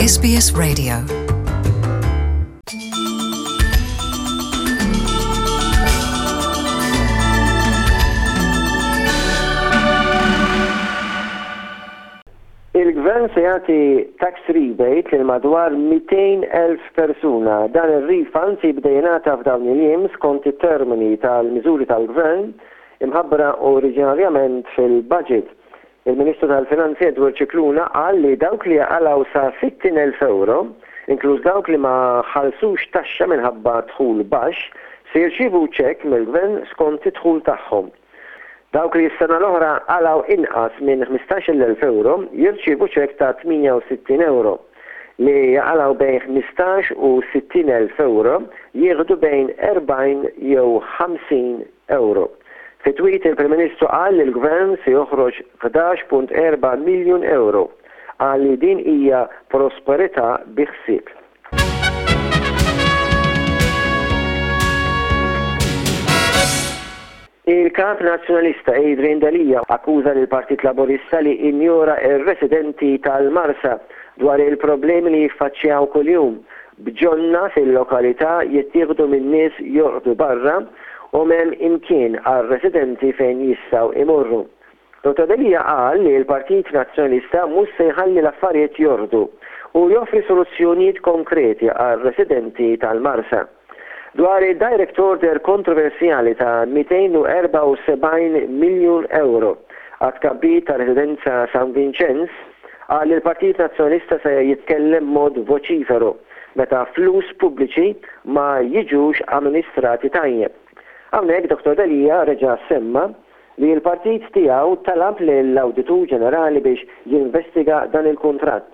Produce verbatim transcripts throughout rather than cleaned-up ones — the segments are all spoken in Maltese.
S B S Radio. Il-gvern se jagħti tax rebate lil madwar mitejn elf persuna. Dan ir-refund se jibda jingħata f'dawn il-jiem skont it-termini tal-miżuri tal-gvern imħabbra oriġinarjament fil-budget. Il-Ministru tal-Finanzi Edward Scicluna qal li dawk li jaqalgħu sa sittin elf euro, inkluż dawk li ma ħallsux taxxa minħabba dħul baxx, se jirċievu ċekk mill-gvern skont id-dħul tagħhom. Dawk li s-sena l-oħra qalgħu inqas minn ħmistax-il elf euro jirċievu ċekk ta' tmienja u sittin euro. Li jaqalgħu bejn ħmistax u sittin elf euro jieħdu bejn erbgħin jew ħamsin euro. Fi tweet, il-Prim Ministru qal li l-Gvern se joħroġ ħdax punt erba' miljun euro. Qal li din hija prosperità bi ħsieb. Il-kap nazzjonalista Adrian Delia akkuża lill Partit Laburista li injora ir-residenti tal-Marsa dwar il-problemi li jiffaċċjaw kuljum, b'ġonna fil-lokalità jittieħdu minn nies jorqdu barra u m'hemm imkien għal residenti fejn jistgħu imorru. Dottor Delia qal li l-Partit Nazzjonalista mhux se jħalli l-affarijiet jorqdu u joffri soluzzjonijiet konkreti għal residenti tal-Marsa. Dwar il-direct order kontroversjali ta' mitejn u erbgħa u sebgħin miljun euro għat-tkabbir ta' residenza San Vincenz, qal li l-Partit Nazzjonalista se jitkellem mod voċifero meta flus pubbliċi ma jiġux amministrati tajjeb. Hawnhekk Dottor Delia reġa' semma li l-partit tiegħu talab lill-Awditur Ġenerali biex jinvestiga dan il-kuntratt.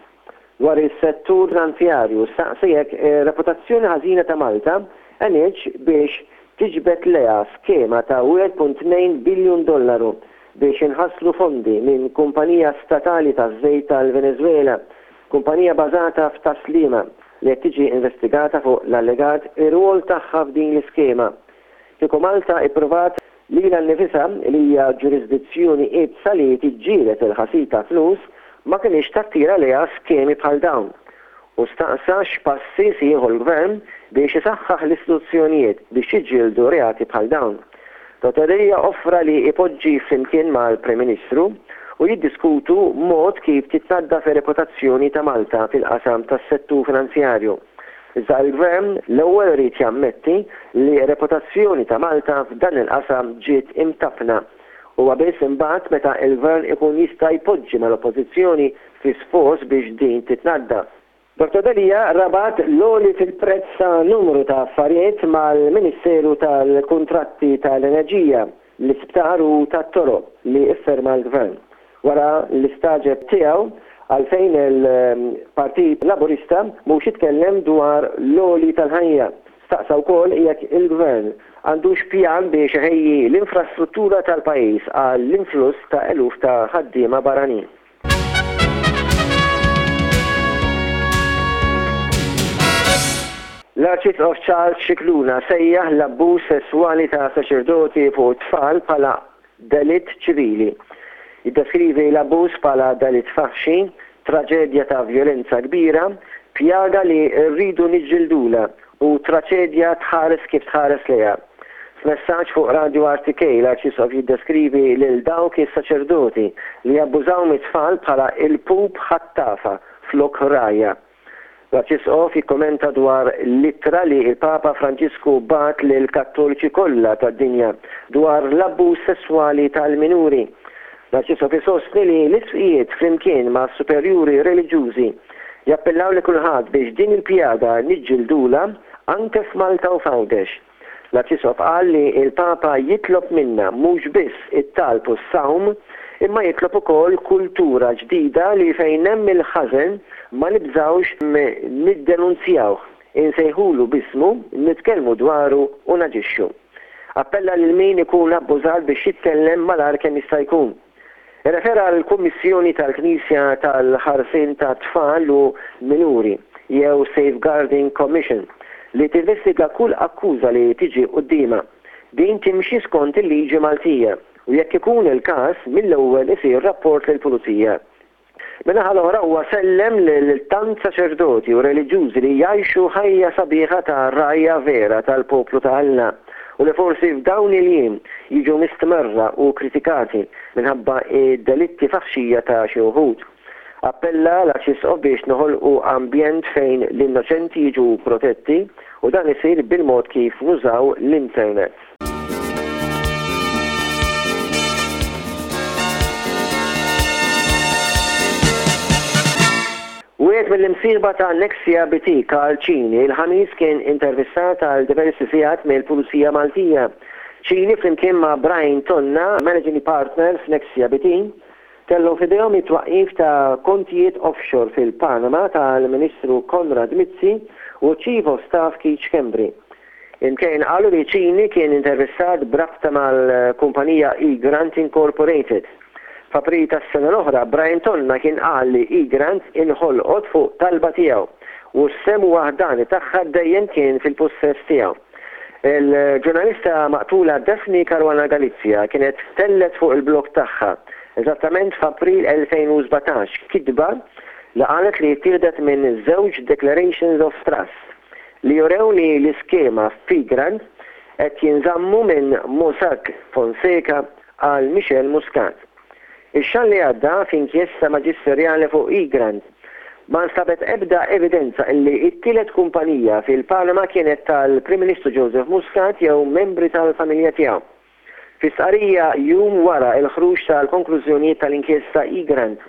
Dwar is-settur finanzjarju, staqsi jekk reputazzjoni ħażina ta' Malta għenitx biex tiġbed lejha skema ta' wieħed punt tnejn biljun dollaru biex inħaslu fondi minn kumpanija statali ta' żejt tal-Venezuela, kumpanija bażata f'Tas-Sliema li qed tiġi investigata fuq l-allegat ir-rwol tagħha f'din l-iskema. Kieku Malta ippruvat lilha nnifisha li hija ġurisdizzjoni iebsa li tiġġieled il-ħasil ta' flus, ma kienx tattira lejha skemi bħal dawn. U staqsa x'passi se jieħu l-gvern biex isaħħaħ l-istituzzjonijiet biex jiġġieldu reati bħal dawn. Dottor Delia offra li ipoġġi flimkien mal-Prim Ministru u jiddiskutu mod kif titnaddaf ir-reputazzjoni ta' Malta fil-qasam tas-settur finanzjarju. Iżda l-gvern l-ewwel irid jammetti li reputazzjoni ta' Malta f'dan il-qasam ġiet imtappna. Huwa biss imbagħad meta il-gvern ikun jista' jpoġġi mal-oppożizzjoni fi sforz biex din titnaddaf. Dottor Delia rabat l-għoli fil-prezz ta' numru ta' affarijiet mal-Ministeru tal-Kuntratti tal-Enerġija, l-Isptar u tat-Toroq li ifferma l-Gvern. Wara l-istagħġib tiegħu għalfejn il-Partit Laburista mhux jitkellem dwar l-għoli tal-ħajja. Staqsa wkoll jekk il-Gvern għandux pjan biex iħejji l-infrastruttura tal-pajjiż għall-influss ta' eluf ta' ħaddiema barranin. L-Arċisqof Charles Scicluna sejjaħ l-abbuż sesswali ta' saċerdoti fuq tfal bħala delitt ċivili. Jiddeskrivi l-abbuż bħala delitt faħxi, traġedja ta' violenza kbira, pjaga li rridu niġġildula u traċedja tħares kif tħares lejha. F'messaġġ fuq Radio R T K, l-Arċisqof jiddeskrivi lil dawk is-saċerdoti li abbużaw mit-tfal bħala ilpup ħattafa flok rgħajja. L-Arċisqof jikkommenta dwar l-ittra li il-Papa Franġisku bagħat lil kattoliċi kollha tad-dinja dwar l-abbuż sesswali tal-minuri. L-Arċisqof isostni li l-isqfijiet flimkien ma' superjuri reliġjużi jappellaw li kulħadd biex din il-pjaga niġġildula anke f'Malta u f'Għawdex. L-Arċisqof qal li il-Papa jitlob minna mhux biss it-talb u s-sawm, imma jitlob ukoll kultura ġdida li fejn hemm il-ħażen ma nibżawx niddenunzjawh, insejħulu b'ismu, nitkellmu dwaru u naġixxu. Appella lil min ikun abbużat biex jitkellem malajr kemm jista' jkun. Refera l-Kummissjoni tal-Knisja tal-Ħarsien ta' Tfal u Minuri jew Safeguarding Commission li tinvestiga kull akkuża li tiġi quddiemha. Din timxi skont il-liġi Maltija u jekk ikun il-każ, mill-ewwel isir rapport lill-pulizija. Min-naħa l-oħra huwa sellem lil tant saċerdoti u reliġjużi li jgħixu ħajja sabiħa ta' rgħajja vera tal-poplu ta' Alla u li forsi f'dawn il-jiem jiġu mistmerra u kritikati minħabba id-delitti faħxija ta' xi wħud. Appella l-Arċisqof biex noħolqu ambjent fejn l-innoċenti jiġu protetti u dan isir bil-mod kif nużaw l-internet. Wieħed mill-imsieħba ta' Nexia B T, Karl Cini, il-Ħamis kien intervistat għal diversi sigħat mill-Pulizija Maltija. Cini flimkien ma' Brian Tonna, Managing Partner f'Nexia B T, kellhom f'idejhom it-twaqqif ta' kontijiet offshore fil-Panama tal-Ministru Konrad Mizzi u Chief of Staff Keith Schembri. Imkien qalu li Cini kien intervistat b'rabta mal-kumpanija Egrant Incorporated. F'April tas-sena l-oħra, Brian Tonna kien qal li Egrant inħolqot fuq talba tiegħu u s-sehem waħdani tagħha dejjem kien fil-possess tiegħu. Il-ġurnalista maqtula Daphne Caruana Galizia kienet tellgħet fuq il-blog tagħha eżattament f'April elfejn u sbatax kitba li qalet li ttieħdet minn żewġ Declarations of Trust li jurew li l-iskema f'Egrant qed jinżammu minn Mossack Fonseca għal Michelle Muscat. Ix-xahar li għadda, f'inkjesta maġisterjali fuq Egrant, ma nstabet ebda evidenza illi it-tielet kumpanija fil-Panama kienet tal-Prim Ministru Joseph Muscat jew membri tal-familja tiegħu. Fi stqarrija jum wara il-ħruġ tal-konklużjonijiet tal-inkjesta Egrant,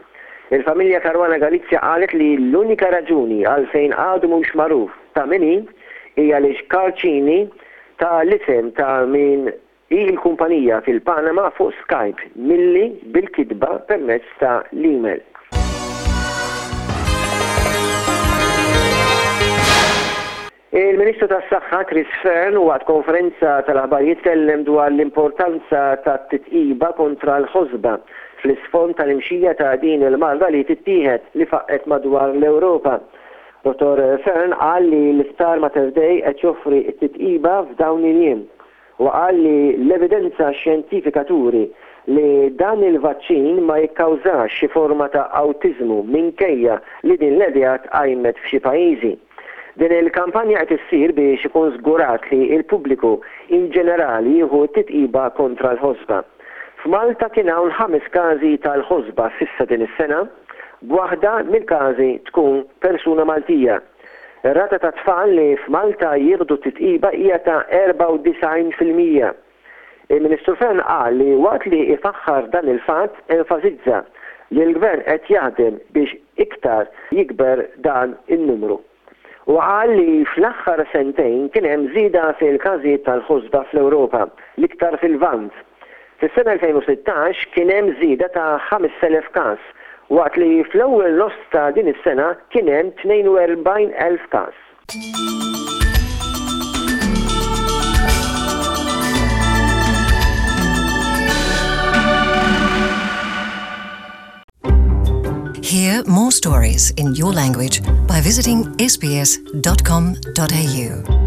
il-familja Caruana Galizia qalet li l-unika raġuni għalfejn għadu mhux magħruf ta' min hi hija li Karl Cini ta l-isem ta' min hi l-kumpanija fil-Panama fuq Skype milli bil-kitba permezz ta' l-email. Il-Ministru tas-Saħħa Chris Fearne waqt konferenza tal-aħbarijiet tkellem dwar l-importanza tat-titqiba kontra l-ħosba fl-isfond tal-imxija ta' din il-marda li tittieħed li faqqgħet madwar l-Ewropa. Dottor Fearne qal li l-Isptar Mater Dei qed joffri t-titqiba f'dawn il-jiem u qal li l-evidenza xjentifika turi li dan il-vaċċin ma jikkawżax xi forma ta' awtiżmu minkejja li din l-idea tqajmet f'xi pajjiżi. Din il-kampanja qed issir biex ikun żgurat li l-pubbliku in ġenerali jieħu t-titqiba kontra l-ħosba. F'Malta kien hawn ħames każi tal-ħosba s'issa din is-sena, b'waħda mill-każi tkun persuna Maltija. Ir-rata ta' tfal li f'Malta jieħdu t-titqiba hija ta' erbgħa u disgħin fil-mija. Il-Ministru Fearne qal li waqt li ifaħħar dan il-fatt, enfasizza li l-gvern qed jaħdem biex iktar jikber dan in-numru. U qal li fl-aħħar sentejn kien hemm żieda fil-każijiet tal-ħosba fl-Ewropa, l-iktar fil-Lvant. Fis-sena elfejn u sittax kien hemm żieda ta' ħamest elef każ, waqt li fl-ewwel nofs ta' din is-sena kien hemm tnejn u erbgħin elf każ. Hear more stories in your language by visiting S B S dot com dot A U.